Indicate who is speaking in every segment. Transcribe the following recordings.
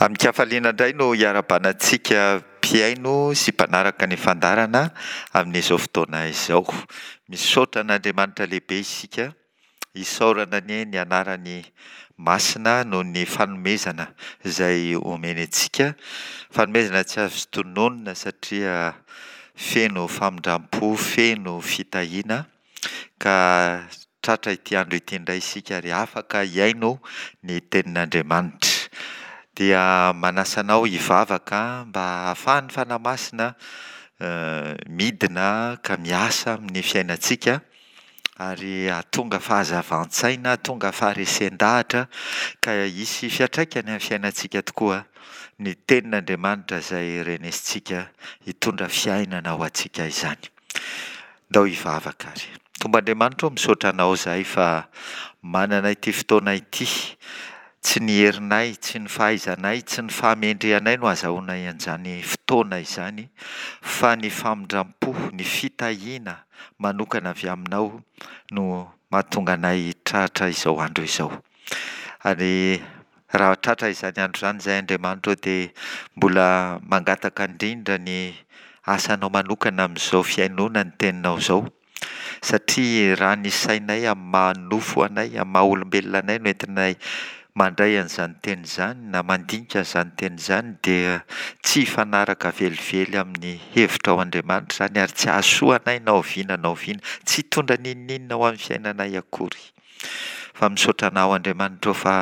Speaker 1: Amin-kafaliana indray no hiarahabana antsika mpihaino sy mpanaraka ny fandaharana amin'izao fotoana izao. Misaotra an'Andriamanitra lehibe isika, isaorana anie ny anarany masina noho ny fanomezana izay omeny antsika, fanomezana tsy azo tononina satria feno famindram-po, feno fitahiana. Ka tratra ity andro ity indray isika ary afaka hihaino ny tenin'Andriamanitra. Dia manasa anao hivavaka mba hahafahan'ny Fanahy Masina midina ka miasa amin'ny fiainantsika ary hahatonga fahazavan-tsaina, hahatonga faharesen-dahatra ka hisy fiantraikany amin'ny fiainantsika tokoa ny tenin'Andriamanitra izay renesintsika hitondra fiainana ho antsika izany. Ndao hivavaka ary. Tompo Andriamanitra ô, misaotra Anao izahay fa manana ity fotoana ity. Tsy ny herinay, tsy ny fahaizanay, tsy ny fahamendrehanay no azahoanay an'izany fotoana izany, fa ny famindram-po, ny fitahiana manokana avy Aminao no mahatonga anay tratra izao andro izao. Ary raha tratra izany andro izany izahay Andriamanitra ô dia mbola mangataka indrindra ny asanao manokana amin'izao fihainoana ny teninao izao satria raha ny sainay amin'ny maha nofo anay, amin'ny maha olombelona anay no entinay mandray an'izany teny izany na mandinika an'izany teny izany dia tsy hifanaraka velively amin'ny hevitrao Andriamanitra izany ary tsy hahasoa anay na oviana na oviana, tsy hitondra n'inon'inona ho amin'ny fiainanay akory. Fa misaotra Anao Andriamanitra ô fa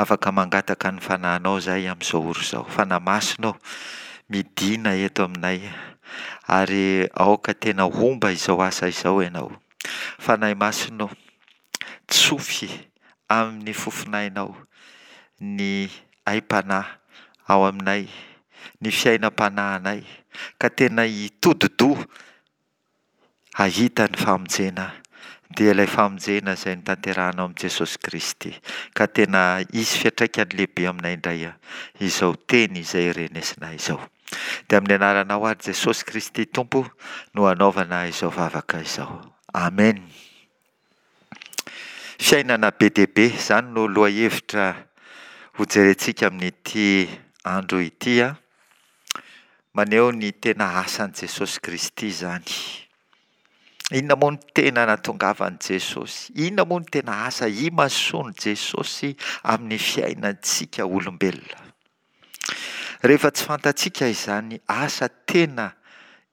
Speaker 1: afaka mangataka ny Fanahinao izahay amin'izao ora izao. Fanahy Masina ô, midìna eto aminay ary aoka tena homba izao asa izao Ianao. Fanahy Masina ô, tsofy amin'ny fofonainao ny aim-panahy ao aminay, ny fiainam-panahinay, ka tena hitodi-doha hahita ny famonjena, dia ilay famonjena izay notanterahanao amin'i Jesosy Kristy, ka tena hisy fiantraikany lehibe aminay indray izao teny izay renesinay izao. Dia amin'ny anaranao ary Jesosy Kristy Tompo no anaovana izao vavaka izao. Amen. Fiainana be dia be, izany no lohahevitra hojerentsika amin'ity andro ity. Maneho ny tena asan'i Jesosy Kristy izany. Inona moa no tena nahatongavan'i Jesosy? Inona moa no tena asa imasoan'i Jesosy amin'ny fiainantsika olombelona? Rehefa tsy fantatsika izany asa tena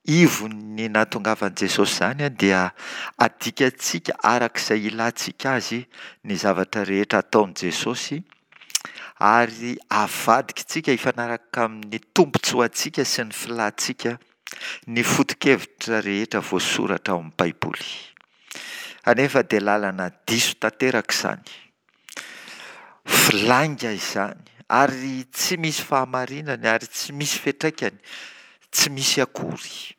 Speaker 1: ivon'ny nahatongavan'i Jesosy izany dia adikantsika araka izay ilantsika azy ny zavatra rehetra ataon'i Jesosy ary avadikitsika hifanaraka amin'ny tombontsoantsika sy ny filantsika ny foto-kevitra rehetra voasoratra ao amin'ny Baiboly. Anefa dia lalana diso tanteraka izany. Lainga izany ary tsy misy fahamarinany ary tsy misy fiantraikany, tsy misy akory.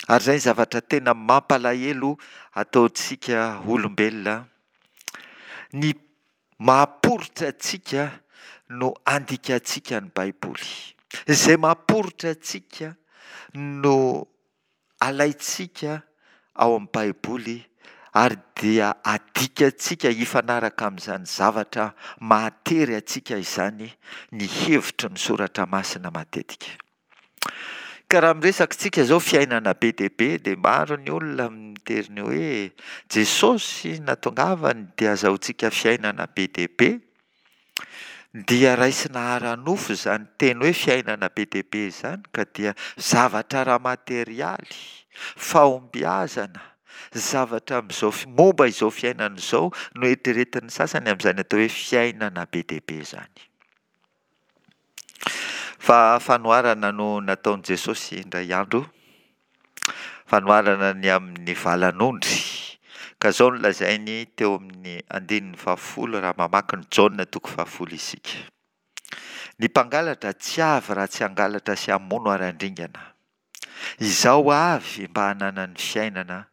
Speaker 1: Ary izay ny zavatra tena mampalahelo ataontsika olombelona, ny mahaporitra antsika no andikantsika ny Baiboly. Izay mahaporitra antsika no alaintsika ao amin'ny Baiboly ary dia adikantsika hifanaraka amin'izany zavatra mahatery antsika izany ny hevitry ny soratra masina matetika. Ka raha miresaka isika izao fiainana be dia be dia maro ny olona mitery ny hoe Jesosy natongavany dia azahoantsika fiainana be dia be. Dia raisina ara-nofo izany teny hoe fiainana be dia be izany ka dia zavatra ara-materialy, fahombiazana, zavatra amin'izao momba izao fiainana izao no eritreretin'ny sasany amin'izany atao hoe fiainana be dia be izany. Fa fanoharana no nataon'i Jesosy indray andro Fanoharana ny amin'ny valan'ondry. Ka izao no lazainy teo amin'ny andininy fahafolo raha mamaky ny Jaona toko fahafolo isika. Ny mpangalatra tsy avy raha tsy hangalatra sy hamono ary handringana. Izaho avy mba hananany fiainana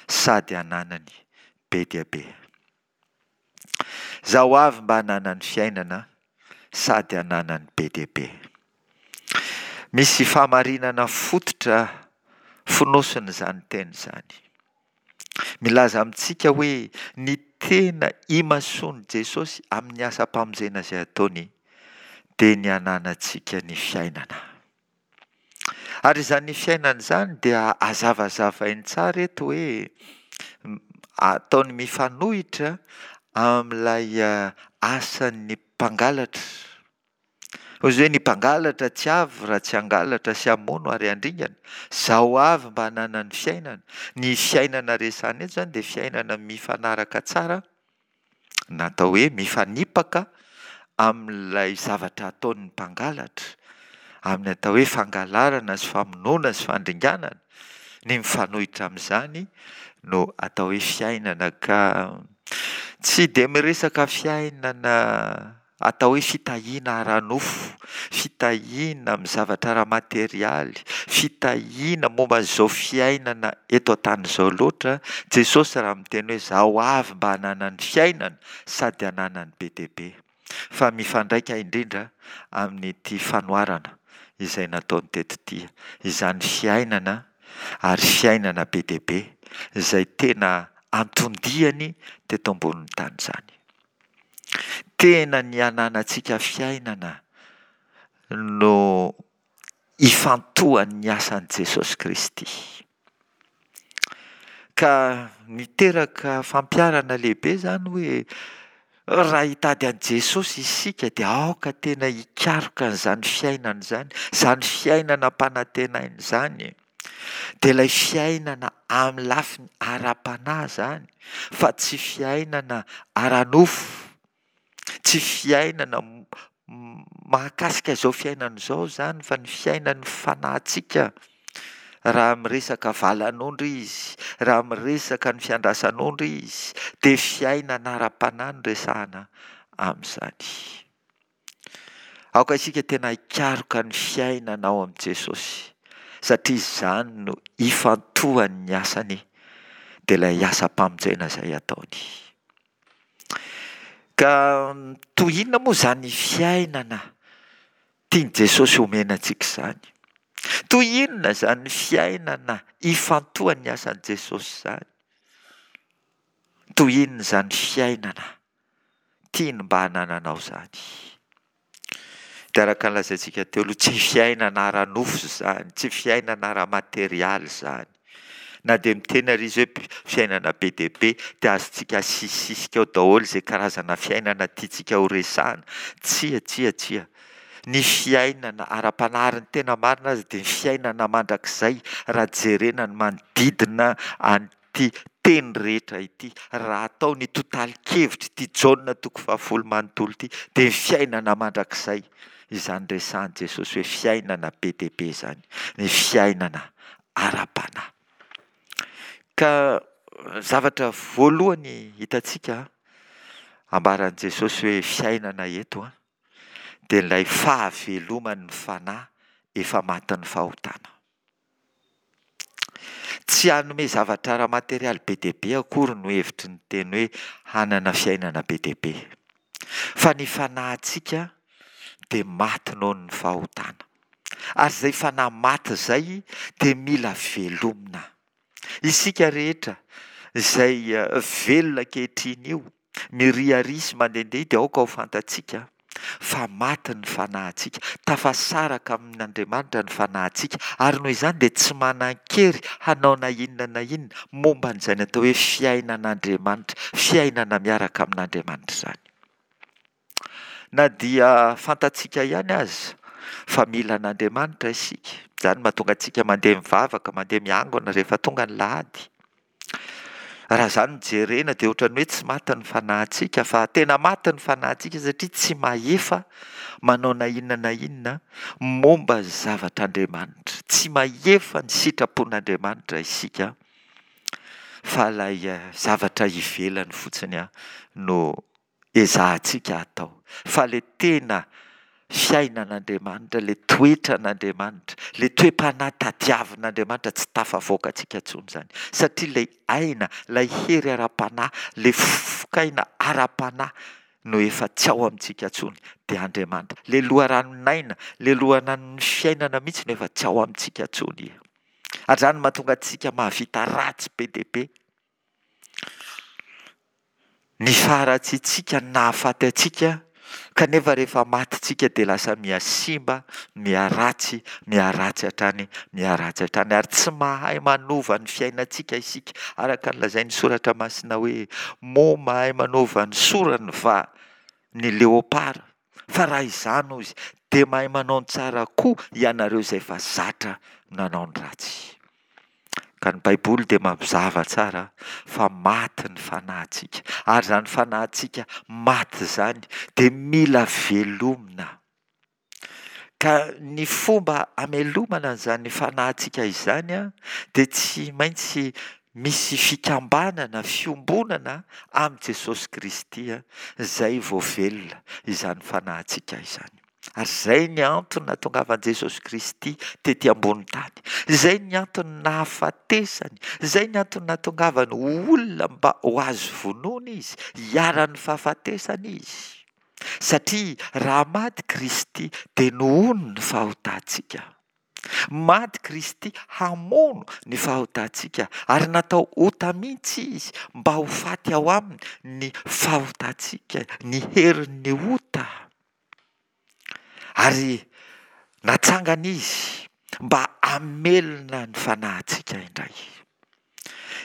Speaker 1: sady hananany be dia be. Izaho avy mba hananany fiainana sady hananany be dia be. Misy fahamarinana fototra fonosin'izany teny izany. Milaza amintsika hoe ny tena imasoan'i Jesosy amin'ny asam-pamonjena izay ataony. dia ny hananantsika ny fiainana. Ary izany fiainana izany dia hazavazavainy tsara eto hoe ataony mifanohitra amin'ilay asan'ny mpangalatra. Hoy izy hoe ny mpangalatra tsy avy raha tsy hangalatra sy hamono ary handringana. Izaho avy mba hananany fiainana. Ny fiainana resahina eto izany dia fiainana mifanaraka tsara na atao hoe mifanipaka amin'ilay zavatra ataon'ny mpangalatra, amin'ny atao hoe fangalarana sy famonoana sy fandringanana, ny mifanohitra amin'izany no atao hoe fiainana ka tsy dia miresaka fiainana Atao hoe fitahiana ara-nofo, fitahiana amin'ny zavatra ara-materialy, fitahiana momba an'izao fiainana eto an-tany izao loatra Jesosy raha miteny hoe izaho avy mba hananany fiainana sady hananany be dia be. Fa mifandraika indrindra amin'ity fanoharana izay nataony teto ity izany fiainana ary fiainana be dia be izay tena anton-diany teto ambonin'ny tany izany. Tena ny hananantsika fiainana no ifantohan'ny asan'i Jesosy Kristy. Ka niteraka fampiharana lehibe izany hoe raha hitady an'i Jesosy isika dia aoka tena hikaroka an'izany fiainana izany, izany fiainana ampanantenaina izany. Dia ilay fiainana amin'ny lafiny ara-panahy izany fa tsy fiainana ara-nofo, tsy fiainana mahakasika izao fiainana izao izany fa ny fiainan'ny fanahintsika. Raha miresaka valan'ondry izy, raha miresaka ny fiandrasan'ondry izy dia fiainana ara-panahy no resahana amin'izany. Aoka isika tena hikaroka ny fiainana ao amin'i Jesosy, satria izany no ifantohan'ny asany, dia ilay asam-pamonjena izay ataony. Ka toy inona moa izany fiainana tian'i Jesosy homena antsika izany? Toy inona izany fiainana ifantohan'ny asan'i Jesosy izany? Toy inona izany fiainana tiany mba hanananao izany. Dia araka ny lazaintsika teo aloha, tsy fiainana ara-nofo izany, tsy fiainana ara-materialy izany. Na dia miteny ary izy hoe fiainana be dia be, dia azontsika asisisika ao daholo izay karazana fiainana tiantsika ho resahana. Tsia, tsia, tsia. Ny fiainana ara-panahy ary ny tena marina aza dia ny fiainana mandrakizay raha jerena ny manodidina an'i ity teny rehetra ity, raha atao ny totalin-kevitr'ity Jaona toko fahafolo manontolo ity, dia ny fiainana mandrakizay izany resahan'i Jesosy hoe fiainana be dia be izany, ny fiainana ara-panahy. Ka zavatra voalohany hitantsika ambaran'i Jesosy hoe fiainana eto dia ilay fahaveloman'ny fanahy efa matin'ny fahotana. Tsy hanome zavatra ara-materialy be dia be akory no hevitry ny teny hoe hanana fiainana be dia be. Fa ny fanahintsika dia maty noho ny fahotana. Ary izay fanahy maty izay dia mila velomina. Isika rehetra izay velona ankehitriny io, miriaria sy mandehandeha dia aoka ho fantatsika fa maty ny fanahintsika, tafasaraka amin'Andriamanitra ny fanahintsika, ary noho izany dia tsy manan-kery hanao na inona na inona momba an'izany atao hoe fiainan'Andriamanitra, fiainana miaraka amin'Andriamanitra izany. Na dia fantatsika ihany aza fa mila an'Andriamanitra isika, izany no mahatonga antsika mandeha mivavaka, mandeha miangona rehefa tonga ny lahady. Raha izany no jerena dia ohatran'ny hoe tsy maty ny fanahintsika fa tena maty ny fanahintsika satria tsy mahefa manao na inona na inona momba ny zavatr'Andriamanitra. Tsy mahefa ny sitrapon'Andriamanitra isika fa ilay zavatra ivelany fotsiny no ezahantsika atao fa le tena fiainan'Andriamanitra, le toetran'Andriamanitra, le toe-panahy tadiavin'Andriamanitra tsy tafavoakantsika intsony izany satria ilay aina, ilay hery ara-panahy, le fofokaina ara-panahy no efa tsy ao amintsika intsony dia Andriamanitra. Le loharanon'aina, le loharanon'ny fiainana mihitsy no efa tsy ao amintsika intsony. Ary izany no mahatonga antsika mahavita ratsy be dia be. Ny faharatsiantsika no nahafaty antsika. Kanefa rehefa maty tsika dia lasa miha-simba, miha-ratsy, miha-ratsy hatrany, miha-ratsy hatrany ary tsy mahay manova ny fiainantsika isika araka ny lazain'ny Soratra Masina hoe, moa mahay manova ny sorany va ny leopara? Fa raha izany hozy dia mahay manao ny tsara koa ianareo izay efa zatra nanao ny ratsy. Ka ny Baiboly dia mampizaha tsara fa maty ny fanahintsika, ary izany fanahintsika maty izany dia mila velomina. Ka ny fomba hamelomana an'izany fanahintsika izany dia tsy maintsy misy fikambanana, fiombonana amin'i Jesosy Kristy izay vao velona izany fanahintsika izany. Ary izay ny antony nahatongavan'i Jesosy Kristy tety ambony tany. Izay ny antony nahafatesany. Izay ny antony nahatongavany ho olona mba ho azo vonoina izy, hiharan'ny fahafatesana izy. Satria raha maty Kristy dia nohono ny fahotantsika. Maty Kristy hamono ny fahotantsika ary natao ota mihitsy izy mba ho faty ao aminy ny fahotantsika, ny herin'ny ota. Ary natsangana Izy mba hamelona ny fanahintsika indray.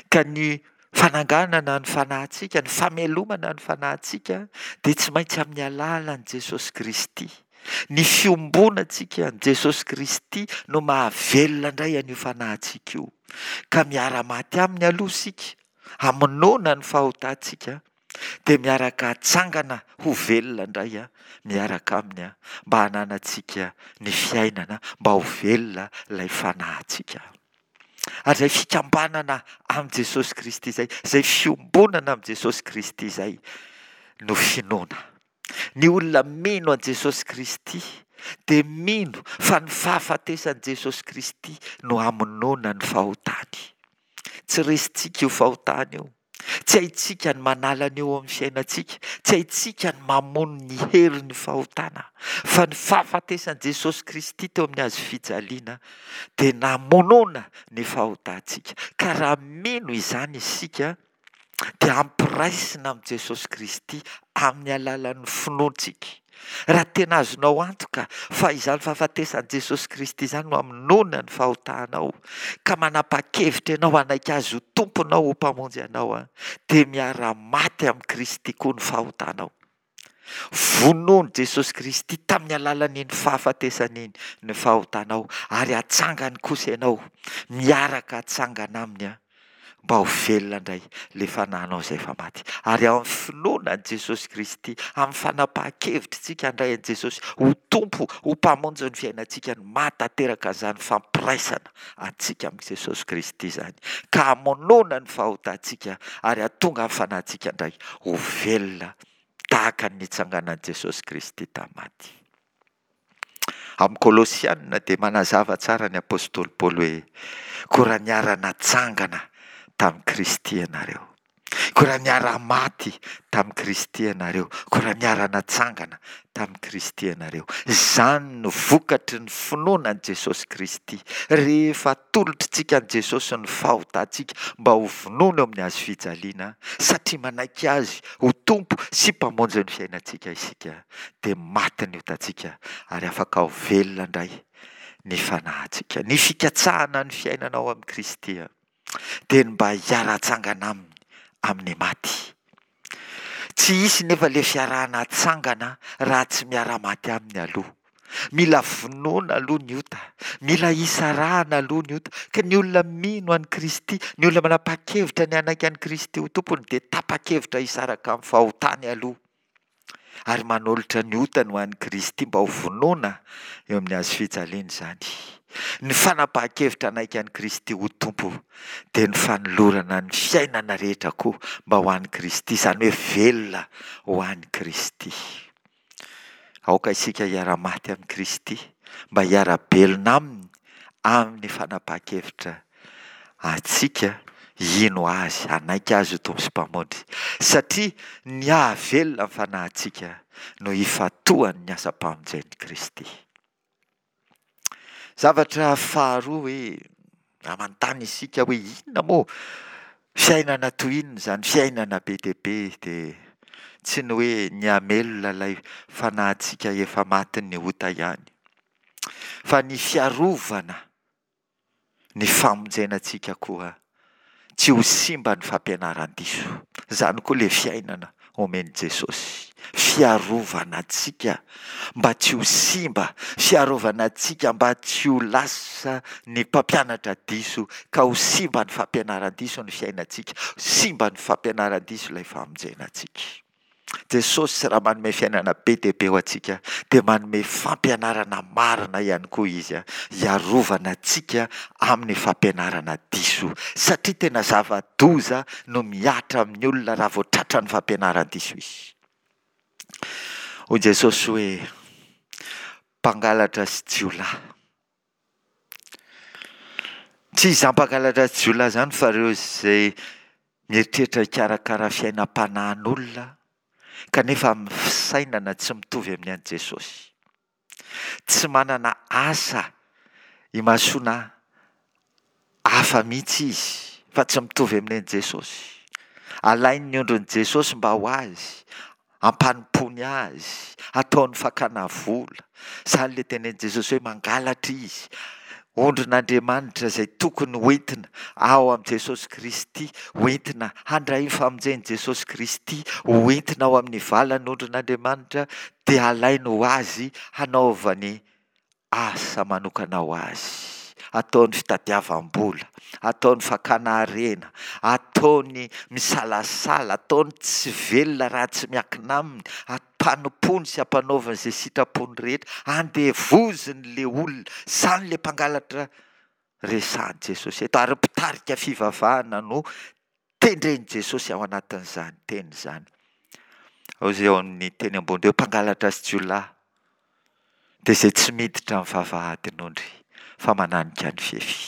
Speaker 1: Ka ny fananganana ny fanahintsika, ny famelomana ny fanahintsika dia tsy maintsy amin'ny alalan'i Jesosy Kristy. Ny fiombonantsika amin'i Jesosy Kristy no mahavelona indray an'io fanahintsika io. Ka miara-maty aminy aloha isika, hamonoana ny fahotantsika, dia miaraka hatsangana ho velona indray miaraka Aminy mba hananantsika ny fiainana, mba ho velona ilay fanahintsika. Ary izay fikambanana amin'i Jesosy Kristy izay, izay fiombonana amin'i Jesosy Kristy izay no finoana. Ny olona mino an'i Jesosy Kristy dia mino fa ny fahafatesan'i Jesosy Kristy no hamonoana ny fahotany. Tsy resintsika io fahotana io. Tsy haintsika ny manala an'io ao amin'ny fiainantsika. Tsy haintsika ny mamono ny herin'ny fahotana. Fa ny fahafatesan'i Jesosy Kristy teo amin'ny hazo fijaliana dia namonoana ny fahotantsika. Ka raha mino izany isika dia ampiraisina amin'i Jesosy Kristy amin'ny alalan'ny finoantsika. Raha tena azonao antoka fa izany fahafatesan'i Jesosy Kristy izany no hamonoana ny fahotanao, ka manapa-kevitra ianao hanaiky Azy ho Tomponao, ho Mpamonjy anao, dia miara-maty amin'i Kristy koa ny fahotanao. Vonoin'i Jesosy Kristy tamin'ny alalan'iny fahafatesany iny ny fahotanao, ary hatsangany kosa ianao, miaraka hatsangana Aminy. mba ho velona indray ilay fanahinao izay efa maty. Ary ao amin'ny finoana an'i Jesosy Kristy, amin'ny fanapahan-kevitritsika handray an'i Jesosy ho Tompo, ho Mpamonjy ny fiainantsika no mahatanteraka an'izany fampiraisana antsika amin'i Jesosy Kristy izany, ka hamonoana ny fahotantsika ary hahatonga ny fanahintsika indray ho velona tahaka ny nitsanganan'i Jesosy Kristy tamin'ny maty. Amin'ny Kolosiana dia manazava tsara ny apostoly Paoly hoe, Koa raha niara-natsangana tamin'i Kristy ianareo, koa raha niara-maty tamin'i Kristy ianareo, koa raha niara-natsangana tamin'i Kristy ianareo. Izany no vokatry ny finoana an'i Jesosy Kristy. Rehefa atolotritsika an'i Jesosy ny fahotantsika mba ho vonoina eo amin'ny hazo fijaliana, satria manaiky Azy ho Tompo sy Mpamonjy ny fiainantsika isika, dia maty ny otantsika ary afaka ho velona indray ny fanahintsika. Ny fikatsahana ny fiainana ao amin'i Kristy dia ny mba hiara-tsangana Aminy amin'ny maty. Tsy hisy nefa ilay fiarahana hatsangana raha tsy miara-maty Aminy aloha. Mila vonoina aloha ny ota, mila hisarahana aloha ny ota. Ka ny olona mino an'i Kristy, ny olona manapa-kevitra ny hanaiky an'i Kristy ho Tompony dia tapa-kevitra hisaraka amin'ny fahotany aloha. ary manolotra ny otany ho an'i Kristy mba ho vonoina eo amin'ny hazo fijaliana izany. Ny fanapahan-kevitra hanaiky an'i Kristy ho Tompo dia ny fanolorana ny fiainana rehetra koa mba ho an'i Kristy, izany hoe velona ho an'i Kristy. Aoka isika hiara-maty amin'i Kristy mba hiara-belona aminy amin'ny fanapahan-kevitra antsika hino Azy, hanaiky Azy ho Tompo sy Mpamonjy, satria ny hahavelona ny fanahintsika no ifantohan'ny asam-pamonjen'i Kristy. Zavatra faharoa hoe raha manontany isika hoe inona moa fiainana toy inona izany fiainana be dia be dia. Tsy ny hoe ny hamelona ilay fanahintsika efa matin'ny ota ihany, fa ny fiarovana ny famonjena antsika koa tsy ho simba ny fampianaran-diso. Izany koa ilay fiainana omen'i Jesosy. Fiarovana antsika mba tsy ho simba, fiarovana antsika mba tsy ho lasa ny mpampianatra diso ka ho simba ny fampianaran-diso ny fiainantsika, simba ny fampianaran-diso ilay famonjena antsika. Jesosy raha manome fiainana be dia be ho antsika dia manome fampianarana marina ihany koa Izy hiarovana antsika amin'ny fampianarana diso satria tena zava-doza no mihatra amin'ny olona raha vao tratran'ny fampianaran-diso izy. Hoy Jesosy hoe, Mpangalatra sy jiolahy. Tsy izany mpangalatra sy jiolahy izany fa ireo izay mieritreritra hikarakara fiainam-panahin'olona kanefa amin'ny fisainana tsy mitovy amin'ny an'i Jesosy. Tsy manana asa imasoana hafa mihitsy izy fa tsy mitovy amin'ny an'i Jesosy. Alainy ny ondrin'i Jesosy mba ho azy, ampanompoany azy, ataony fakana vola. Izany ilay tenenin'i Jesosy hoe mangalatra izy. Ondrin'Andriamanitra izay tokony hoentina ao amin'i Jesosy Kristy, hoentina handray ny famonjen'i Jesosy Kristy, hoentina ao amin'ny valan'ondrin'Andriamanitra, dia alainy ho azy hanaovany asa manokana ho azy, ataony fitadiavam-bola, ataony fakana harena, ataony misalasala, ataony tsy velona raha tsy miankina aminy, ampanompoany sy ampanaoviny izay sitrapony rehetra, andevoziny le olona, izany le mpangalatra resahan'i Jesosy eto, ary mpitarika fivavahana no Tendren'i Jesosy ao anatin'izany teny izany. Ao izay ao amin'ny teny ambony ireo mpangalatra sy jiolahy dia izay tsy miditra amin'ny vavahadin'ondry fa mananika ny fefy.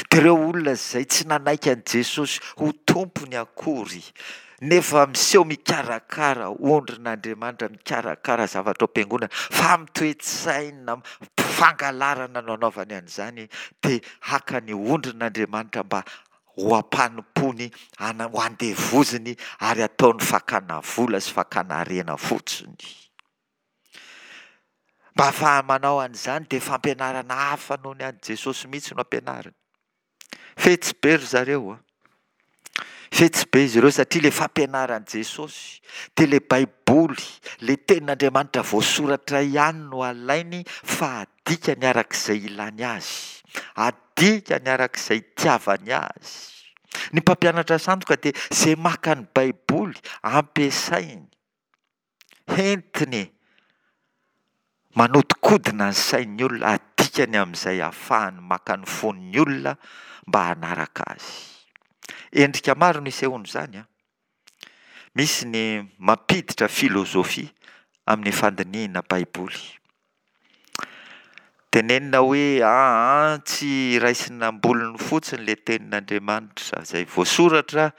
Speaker 1: Dia ireo olona izay tsy nanaiky an'i Jesosy ho tompony akory nefa miseho mikarakara ondrin'Andriamanitra, mikarakara zavatra ao am-piangonana fa amin'ny toe-tsaina fangalarana no anaovany an'izany dia haka ny ondrin'Andriamanitra mba ho ampanompoany, ho andevoziny ary ataony fakana vola sy fakana harena fotsiny. Mba hahafahany manao an'izany dia fampianarana hafa noho ny an'i Jesosy mihitsy no ampianariny. Fetsy be ry zareo a! Fetsy be izy ireo satria ilay fampianaran'i Jesosy dia ilay Baiboly, ilay tenin'Andriamanitra voasoratra ihany no alainy fa adikany araka izay ilany azy. Adikany araka izay itiavany azy. Ny mpampianatra sandoka dia izay maka ny Baiboly ampiasainy, entiny manodikodina ny sain'ny olona, adikany amin'izay ahafahany maka ny fon'ny olona mba hanaraka azy. Endrika maro no isehoan'izany an! Misy ny mampiditra filozofia amin'ny fandinihina Baiboly. Tenenina hoe aa tsy raisina am-bolony fotsiny ilay tenin'Andriamanitra izay voasoratra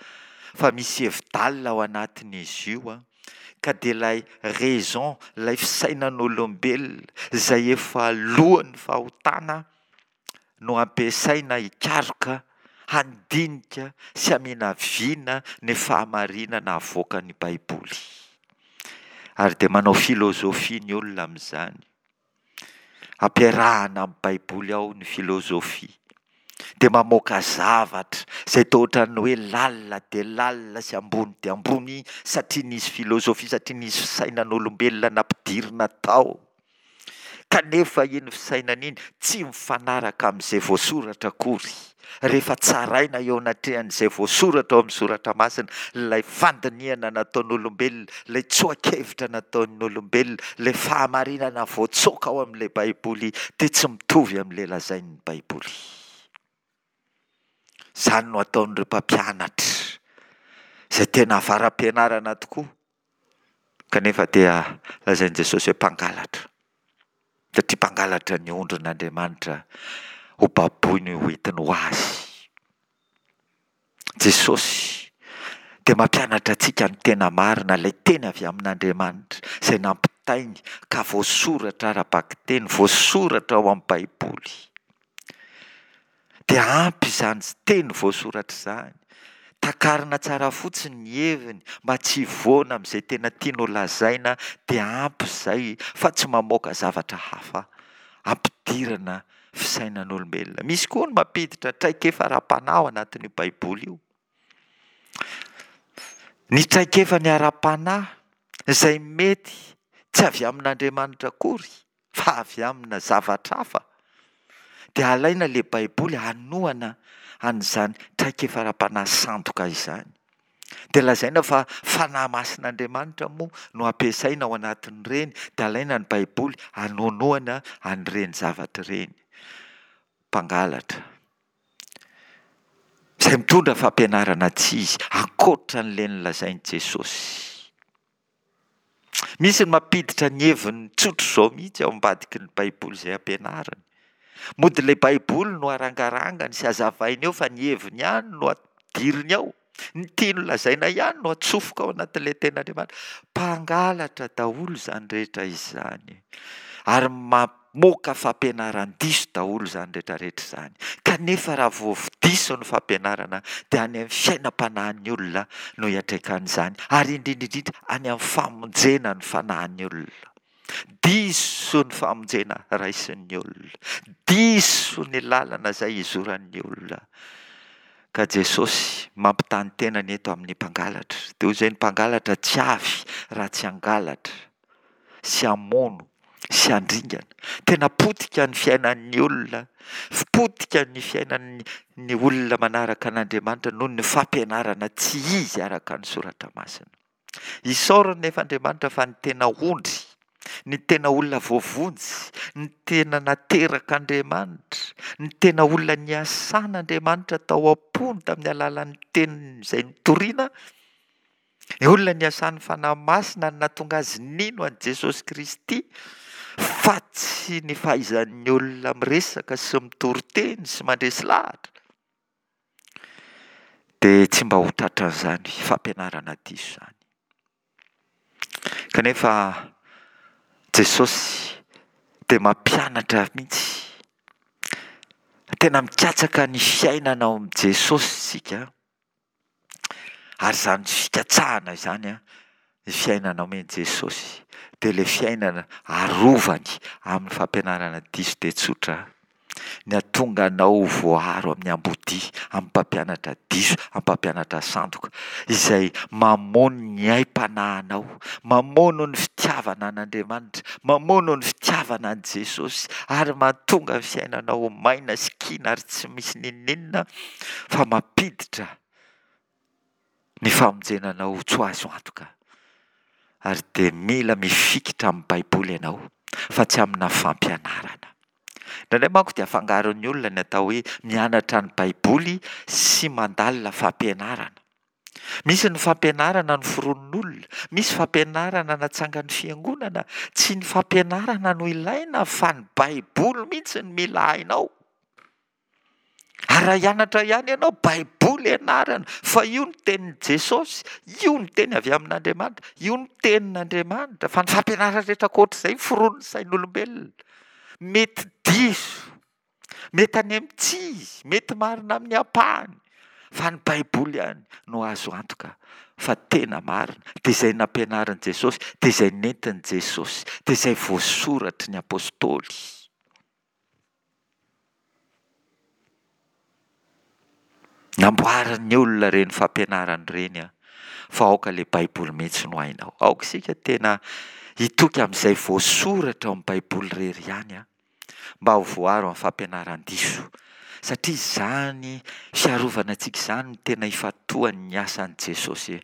Speaker 1: fa misy hevi-dalina ao anatin'izy io an, ka dia ilay raison, ilay fisainan'olombelona izay efa lohan'ny fahotana no ampiasaina hikaroka, handinika sy haminavina ny fahamarinana avoakan'ny Baiboly. Ary dia manao filôzôfia ny olona amin'izany. Ampiarahana amin'ny Baiboly ao ny filôzôfia. Dia mamoaka zavatra izay toa ohatran'ny hoe lalina dia lalina sy ambony dia ambony satria nisy filôzôfia, satria nisy fisainan'olombelona nampidirina tao. Kanefa iny fisainana iny tsy mifanaraka amin'izay voasoratra akory. Rehefa tsaraina eo anatrehan'izay voasoratra ao amin'ny soratra masina, ilay fandinihana nataon'olombelona, ilay tsoa-kevitra nataon'olombelona, ilay fahamarinana voatsoaka ao amin'ilay Baiboly dia tsy mitovy amin'ilay lazain'ny Baiboly. Izany no ataon'ireo mpampianatra izay tena avara-pianarana tokoa. Kanefa dia lazain'i Jesosy hoe mpangalatra, satria mpangalatra ny ondrin'Andriamanitra ho baboiny ho entiny ho azy. Jesosy dia mampianatra antsika ny tena marina, ilay teny avy amin'Andriamanitra izay nampitainy ka voasoratra ara-bakiteny, voasoratra ao amin'ny Baiboly. Dia ampy izany teny voasoratra izany. Takarina tsara fotsiny ny heviny mba tsy hivoana amin'izay tena tiany ho lazaina dia ampy izay fa tsy mamoaka zavatra hafa ampidirana fisainan'olombelona. Misy koa ny mampiditra traikefa ara-panahy ao anatin'io Baiboly io. Ny traikefany ara-panahy izay mety tsy avy amin'Andriamanitra akory fa avy amina zavatra hafa, dia alaina ilay Baiboly hanohana an'izany traikefa ara-panahy sandoka izany. Dia lazaina fa Fanahy Masin'Andriamanitra moa no ampiasaina ao anatin'ireny, dia alaina ny Baiboly hanohanohana an'ireny zavatra ireny. Mpangalatra. Izay mitondra fampianarana tsy izy, ankoatra an'ilay nolazain'i Jesosy. Misy ny mampiditra ny heviny tsotra izao mihitsy ao ambadiky ny Baiboly izay ampianariny. Mody ilay Baiboly no arangarangany sy hazavainy eo fa ny heviny ihany no ampidiriny ao. Ny tiany holazaina ihany no atsofoka ao anatin'ilay Tenin'Andriamanitra. Mpangalatra daholo izany rehetra izany. Ary mamoaka fampianaran-diso daholo izany rehetra rehetra izany. Kanefa raha vao diso ny fampianarana dia any amin'ny fiainam-panahin'ny olona no iantraikan'izany, ary indrindra indrindra any amin'ny famonjena ny fanahin'ny olona. Diso ny famonjena raisin'ny olona. Diso ny lalana izay izoran'ny olona. Ka Jesosy mampitaha ny tenany eto amin'ny mpangalatra. Dia hoy izay ny mpangalatra tsy avy raha tsy hangalatra. sy hamono sy handringana. Tena potika ny fiainan'ny olona, potika ny fiainan'ny ny olona manaraka an'Andriamanitra noho ny fampianarana tsy izy araka ny soratra masina. Isaorana nefa Andriamanitra fa ny tena ondry, ny tena olona voavonjy, ny tena naterak'Andriamanitra, ny tena olona niasan'Andriamanitra tao am-pony tamin'ny alalan'ny teniny izay nitoriana, Ny olona niasan'ny Fanahy Masina no nahatonga azy nino an'i Jesosy Kristy fa tsy ny fahaizan'ny olona miresaka sy mitory teny sy mandresy lahatra. Dia tsy mba ho tratran'izany fampianarana diso izany. Kanefa Jesosy dia mampianatra mihitsy. Tena mikatsaka ny fiainana ao amin'i Jesosy isika. Ary izany fikatsahana izany an, ny fiainana omen'i Jesosy, dia ilay fiainana arovany amin'ny fampianarana diso dia tsotra, ny hahatonga anao ho voaaro amin'ny ambodia, amin'ny mpampianatra diso, amin'ny mpampianatra sandoka, izay mamono ny aim-panahinao, mamono ny fitiavana an'Andriamanitra, mamono ny fitiavana an'i Jesosy, ary mahatonga ny fiainanao ho maina sy kina ary tsy misy n'inon'inona fa mampiditra ny famonjena anao ho tsy ho azo antoka. Ary dia mila mifikitra amin'ny Baiboly ianao fa tsy amina fampianarana. Indraindray manko dia afangaron'ny olona ny atao hoe mianatra ny Baiboly sy mandalina fampianarana. Misy ny fampianarana noforonin'olona, misy fampianarana natsangan'ny fiangonana. Tsy ny fampianarana no ilaina fa ny Baiboly mihitsy no mila hainao. Ary raha hianatra ihany ianao, Baiboly ianarana, fa io ny tenin'i Jesosy, io ny teny avy amin'Andriamanitra, io ny tenin'Andriamanitra, fa ny fampianarana rehetra ankoatr'izay foronin'ny sain'olombelona. Mety diso, mety any amin'ny tsy izy, mety marina amin'ny ampahany, fa ny Baiboly ihany no azo antoka fa tena marina, dia izay nampianarin'i Jesosy, dia izay nentin'i Jesosy, dia izay voasoratry ny Apostoly. Namboarin'ny olona ireny fampianarana ireny an, fa aoka ilay Baiboly mihitsy no hainao. Aoka isika tena hitoky amin'izay voasoratra ao amin'ny Baiboly irery ihany an, mba ho voaro amin'ny fampianaran-diso. Satria izany fiarovana antsika izany no tena ifantohan'ny asan'i Jesosy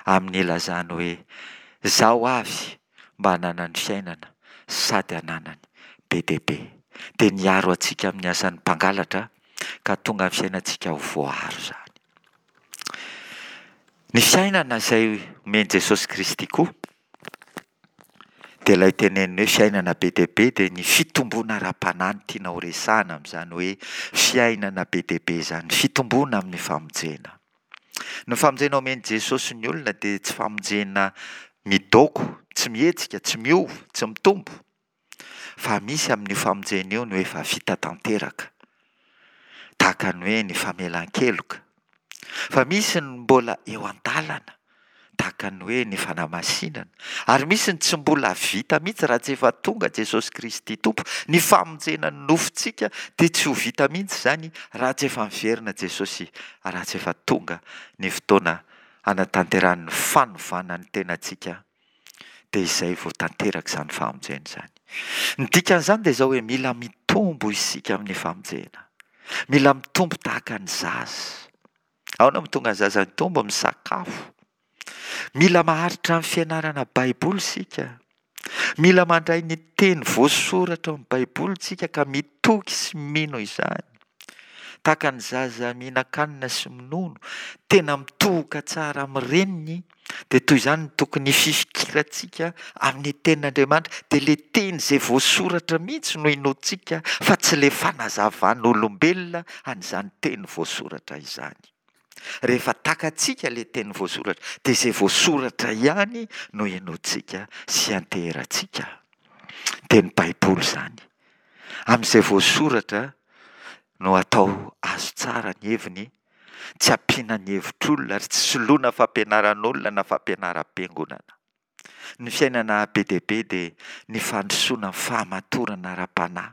Speaker 1: amin'ny ilazany hoe, Izaho avy mba hananany fiainana sady hananany be dia be. Dia niaro antsika amin'ny asan'ny mpangalatra ka tonga ny fiainantsika ho voaaro izany. Ny fiainana izay omen'i Jesosy Kristy koa dia ilay teneniny hoe fiainana be dia be dia ny fitomboana ara-panahy no tiana horesahana amin'izany hoe fiainana be dia be izany, fitomboana amin'ny famonjena. Ny famonjena omen'i Jesosy ny olona dia tsy famonjena midoko, tsy mihetsika, tsy miova, tsy mitombo, fa misy amin'io famonjena io no efa vita tanteraka, tahaka ny hoe ny famelan-keloka. Fa misy ny mbola eo an-dalana, tahaka ny hoe ny fanamasinana, ary misy ny tsy mbola vita mihitsy raha tsy efa tonga Jesosy Kristy Tompo. Ny famonjena ny nofontsika dia tsy ho vita mihitsy izany raha tsy efa miverina Jesosy, raha tsy efa tonga ny fotoana hanatanterahany ny fanovana ny tenantsika, dia izay vao tanteraka izany famonjena izany. Ny dikan'izany dia izao hoe mila mitombo isika amin'ny famonjena. Mila mitombo tahaka ny zaza. Ahoana no tonga ny zaza mitombo? Misakafo. Mila maharitra amin'ny fianarana Baiboly isika. Mila mandray ny teny voasoratra ao amin'ny Baiboly isika ka mitoky sy mino izany. Tahaka ny zaza mihinan-kanina sy minono, tena mitohoka tsara amin'ny reniny, dia toy izany no tokony hifikirantsika amin'ny tenin'Andriamanitra, dia ilay teny izay voasoratra mihitsy no inoantsika fa tsy ilay fanazavan'olombelona an'izany teny voasoratra izany. Rehefa takatsika ilay teny voasoratra, dia izay voasoratra ihany no inoantsika sy ianteherantsika. Dia ny Baiboly izany. Amin'izay voasoratra no atao azo tsara ny heviny, tsy ampiana ny hevitr'olona ary tsy soloina fampianaran'olona na fampianaram-piangonana. Ny fiainana be dia be dia ny fandrosoana ny fahamatorana ara-panahy.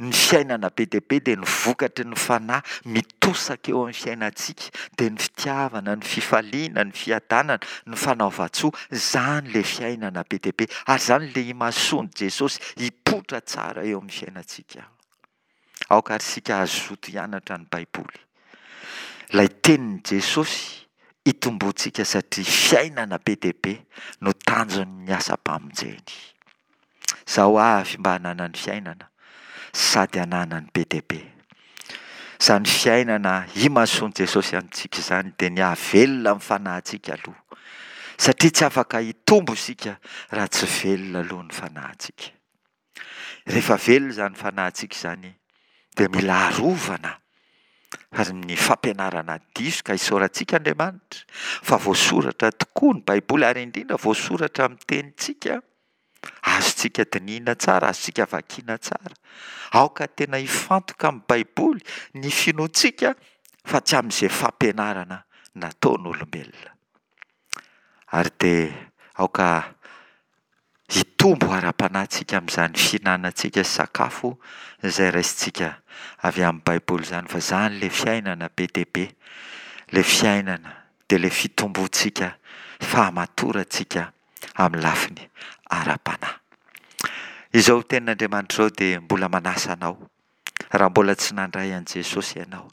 Speaker 1: Ny fiainana be dia be dia ny vokatry ny fanahy mitosaka eo amin'ny fiainantsika, dia ny fitiavana, ny fifaliana, ny fiadanana, ny fanaovan-tsoa, izany ilay fiainana be dia be, ary izany ilay imasoan'i Jesosy hipoitra tsara eo amin'ny fiainantsika. Aoka àry isika hazoto hianatra ny Baiboly, ilay tenin'i Jesosy hitomboantsika satria fiainana be dia be no tanjon'ny asam-pamonjeny. Izaho avy mba hananany fiainana sady hananany be dia be. Izany fiainana imasoan'i Jesosy antsika izany dia ny hahavelona ny fanahintsika aloha, satria tsy afaka hitombo isika raha tsy velona aloha ny fanahintsika. Rehefa velona izany fanahintsika izany dia mila arovana ary ny fampianarana diso ka isaorantsika Andriamanitra fa voasoratra tokoa ny Baiboly ary indrindra voasoratra amin'ny tenintsika, azontsika dinihina tsara, azontsika vakiana tsara. Aoka tena hifantoka amin'ny Baiboly ny finoantsika fa tsy amin'izay fampianarana nataon'olombelona. Ary dia aoka hitombo ara-panahy tsika amin'izany fihinanantsika sakafo izay raisintsika avy amin'ny Baiboly izany, fa izany ilay fiainana be dia be, ilay fiainana dia ilay fitomboantsika, fahamatorantsika amin'ny lafiny ara-panahy. Izao tenin'Andriamanitra izao dia mbola manasa anao Raha mbola tsy nandray an'i Jesosy ianao,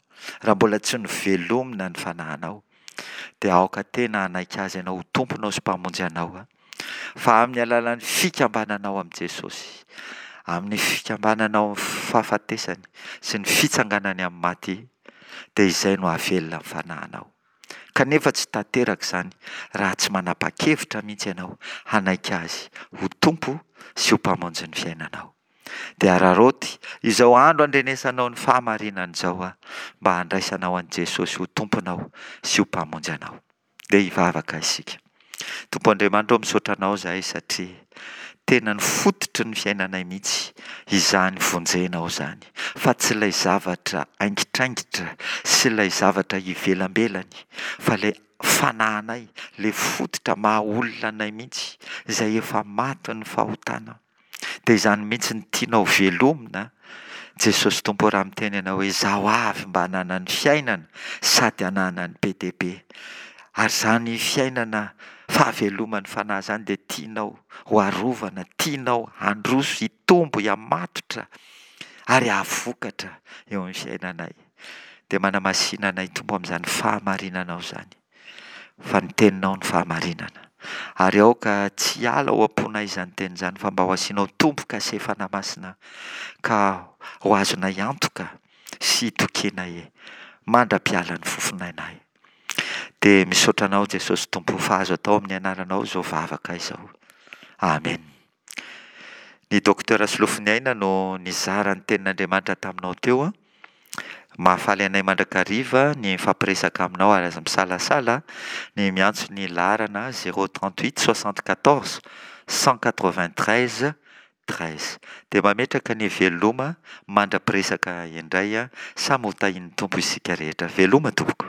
Speaker 1: raha mbola tsy novelomina ny fanahinao, dia aoka tena hanaiky Azy ianao ho Tomponao sy Mpamonjy anao, fa amin'ny alalan'ny fikambananao amin'i Jesosy, amin'ny fikambananao amin'ny fahafatesany sy ny fitsanganany amin'ny maty, dia izay no hahavelona ny fanahinao. Kanefa tsy tanteraka izany raha tsy manapa-kevitra mihitsy ianao hanaiky Azy ho Tompo sy ho Mpamonjy ny fiainanao. Dia araraoty izao andro andrenesanao ny fahamarinana izao aho mba handraisanao an'i Jesosy ho Tomponao sy ho Mpamonjy anao. Dia hivavaka isika. Tompo Andriamanitra ô misaotra Anao izahay satria tena ny fototry ny fiainanay mihitsy izany vonjenao izany fa tsy ilay zavatra aingitraingitra sy ilay zavatra ivelambelany fa ilay fanahinay, ilay fototra maha olona anay mihitsy izay efa matin'ny fahotana. Dia izany mihitsy no tianao velomina Jesosy Tompo raha miteny ianao hoe izaho avy mba hananany fiainana sady hananany be dia be. Ary izany fiainana fahaveloman'ny fanahy izany dia tianao ho arovana, tianao handroso, hitombo, hihamatotra ary hahavokatra eo amin'ny fiainanay. Dia manamasina anay Tompo amin'izany fahamarinanao izany. Fa ny teninao no fahamarinana. Ary aoka tsy hiala ao am-ponay izany teny izany fa mba ho asianao tombo-kase Fanahy Masina ka ho azonay antoka sy hitokianay mandra-piala ny fofonainay. Dia misaotra Anao Jesosy Tompo fa azo atao amin'ny anaranao izao vavaka izao. Amen. Ny Docteur Solofoniaina no nizara ny tenin'Andriamanitra taminao teo. Mahafaly anay mandrakariva ny mifampiresaka aminao ary aza misalasala ny miantso ny laharana 038 74 193 13. Dia mametraka ny veloma mandra-piresaka indray, samy ho tahian'ny Tompo isika rehetra. Veloma tompoko.